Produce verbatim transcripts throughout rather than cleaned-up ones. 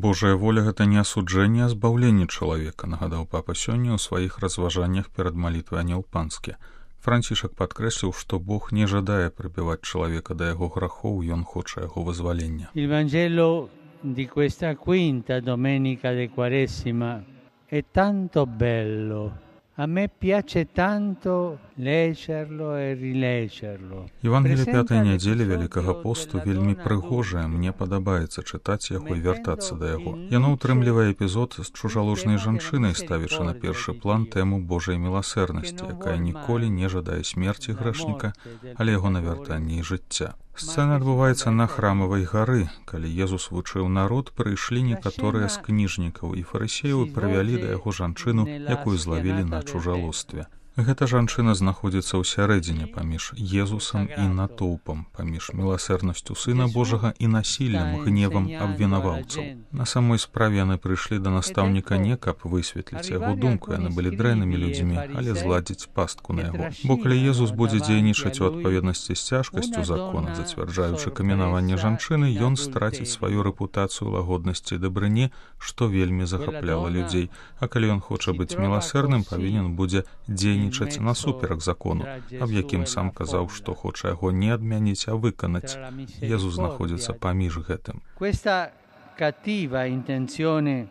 Божая воля — гэта не асуджэнне, а збаўленне чалавека, нагадаў папа сёння ў сваіх разважаннях перад малітвай Анёл Панскі. Францішак падкрэсліў, што Бог не жадае прыбіваць чалавека да яго грахоў, ён хоча яго вызвалення. Il Vangelo di questa quinta domenica di Quaresima è tanto bello. A me piace tanto leggerlo e rileggerlo. Евангелие пятай нядзелі Вялікага посту вельмі прыгожае, мне падабаецца чытаць яго і вяртацца да яго. Яно ўтрымлівае эпізод з чужаложнай жанчынай, ставячы на першы план тэму Божай міласэрнасці, якая ніколі не жадае смерці грэшніка, але яго навяртання і жыцця. Сцэна адбываецца на храмавай гары. Калі Езус вучыў народ, прыйшлі некаторыя з кніжнікаў і фарысеяў і прывялі да яго жанчыну, якую злавілі на чужалостве. Гэта жанчына знаходзіцца ў сярэдзіне паміж Езусам і натоўпам, паміж міласэрнасцю Сына Божага і насіллем, гневам абвінаваўцаў. На самой справе яны прыйшлі да настаўніка не каб высветліць яго думку, яны былі дрэннымі людзьмі, але зладзіць пастку на яго. Бо калі Езус будзе дзейнічаць у адпаведнасці з цяжкасцю закона, зацвярджаючы каменаванне жанчыны, ён страціць сваю рэпутацыю лагоднасці і дабрыні, што вельмі захапляла людзей. А калі ён хоча быць міласэрным, павінен будзе дзейнічаць насуперак закону, аб якім сам казаў, што хоча яго не адмяніць, а выканаць. Езус знаходзіцца паміж гэтым. Questa cattiva intenzione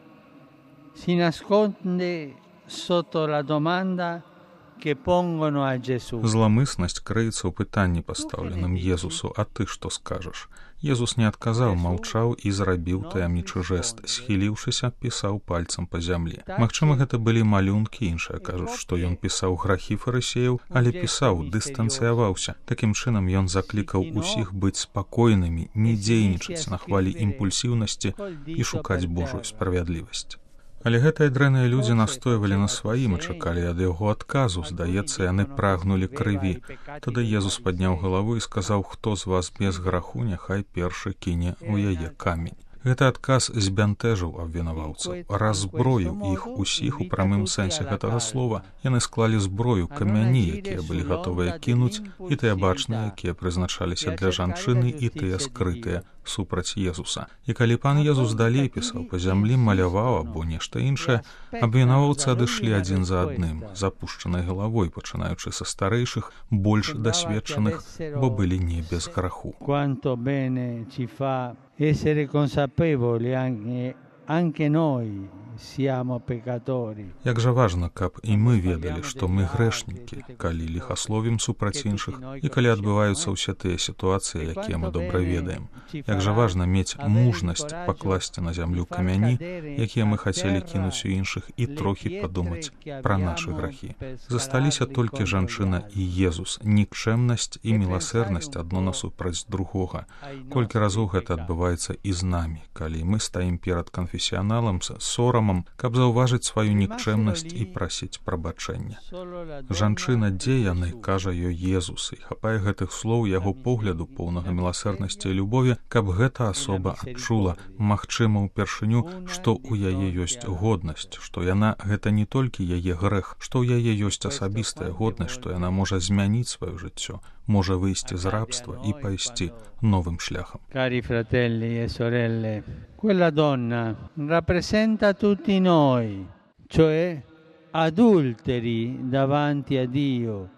si nasconde sotto la domanda che pongono a Gesù. Зламыснасць крыецца ў пытанні, пастаўленым Езусу: «А ты што скажаш?» Езус не адказаў, маўчаў і зрабіў таямнічы жэст. Схіліўшыся, пісаў пальцам па зямлі. Магчыма, гэта былі малюнкі, іншыя кажуць, што ён пісаў грахі фарысеяў, але пісаў, дыстанцыяваўся. Такім чынам ён заклікаў усіх быць спакойнымі, не дзейнічаць на хвалі імпульсіўнасці і шукаць Божую справядлівасць. Але гэтыя дрэнныя людзі настойвалі на сваім і чакалі ад яго адказу. Здаецца, яны прагнулі крыві. Тады Езус падняў галаву і сказаў: «Хто з вас без граху, няхай першы кіне ў яе камень». Гэты адказ збянтэжыў абвінаваўцаў, раззброіў іх усіх у прамым сэнсе гэтага слова. Яны склалі зброю, камяні, якія былі гатовыя кінуць, і тыя бачныя, якія прызначаліся для жанчыны, і тыя скрытыя супраць Езуса. І калі пан Езус далей пісаў па зямлі, маляваў або нешта іншае, абвінаваўцы адышлі адзін за адным, з апушчанай галавой, пачынаючы са старэйшых, больш дасведчаных, бо былі не без граху. Essere consapevoli anche, anche noi siamo peccatori. Як жа важна, каб і мы ведалі, што мы грэшнікі, калі ліхасловім супраць іншых і калі адбываюцца ўсе тыя сітуацыі, якія мы добра ведаем. Як жа важна мець мужнасць пакласці на зямлю камяні, якія мы хацелі кінуць у іншых, і трохі падумаць пра нашы грахі. Засталіся толькі жанчына і Езус, нікчэмнасць і міласэрнасць адно насупраць другога. Колькі разоў гэта адбываецца і з намі, калі мы стаім перад канфесіяналам з сорамам, каб заўважыць сваю нікчэмнасць і прасіць прабачэння. Жанчына, дзе яны, кажа ёй Езус, і хапае гэтых слоў яго погляду, поўнага міласэрнасці і любові, каб гэта асоба адчула, магчыма, упершыню, што ў яе ёсць годнасць, што яна гэта не толькі яе грэх, што ў яе ёсць асабістая годнасць, што яна можа змяніць сваё жыццё, можа выйсці з рабства і пайсці новым шляхам. Cari fratelli e sorelle, quella donna rappresenta tutti noi, cioè adulteri davanti a Dio,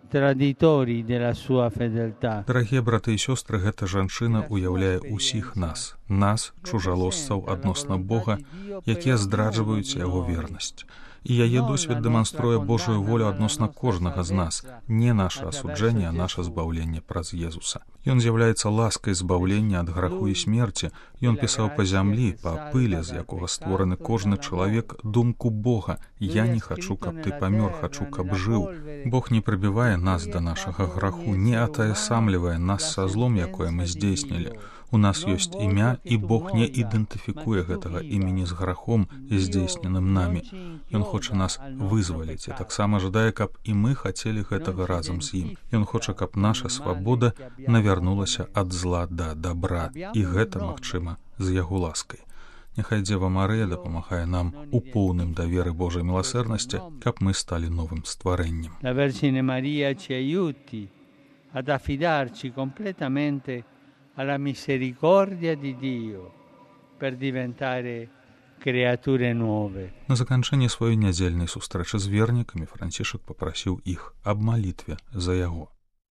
traditori della sua fedeltà. Дарагія браты і сёстры, гэта жанчына уяўляе ўсіх нас, нас, чужалосцаў адносна Бога, якія здраджваюць яго вернасць. І яе досвед дэманструе Божую волю адносна кожнага з нас, не наша асуджэнне, а наша збаўленне праз Езуса. Ён з'яўляецца ласкай збаўлення ад граху і смерці. Ён пісаў па зямлі, па пыле, з якога створаны кожны чалавек, думку Бога: «Я не хачу, каб ты памёр, хачу, каб жыў». Бог не прыбівае нас да нашага граху, не атаясамлівае нас са злом, якое мы здзейснілі. У нас ёсць імя, і Бог не ідэнтыфікуе гэтага імені з грахом, здзейсненым намі. Ён хоча нас вызваліць і таксама жадае, каб і мы хацелі гэтага разам з ім. Ён хоча, каб наша свабода навярнулася ад зла да дабра, і гэта магчыма з яго ласкай. Няхай Дзева Марыя дапамагае нам у поўным даверы Божай міласэрнасці, каб мы сталі новым стварэннем. La Vergine Maria ci aiuti ad affidarci completamente alla misericordia di Dio per diventare creature nuove. На заканчэнне сваёй нядзельнай сустрэчы з вернікамі Францішак папрасіў іх аб малітве за яго.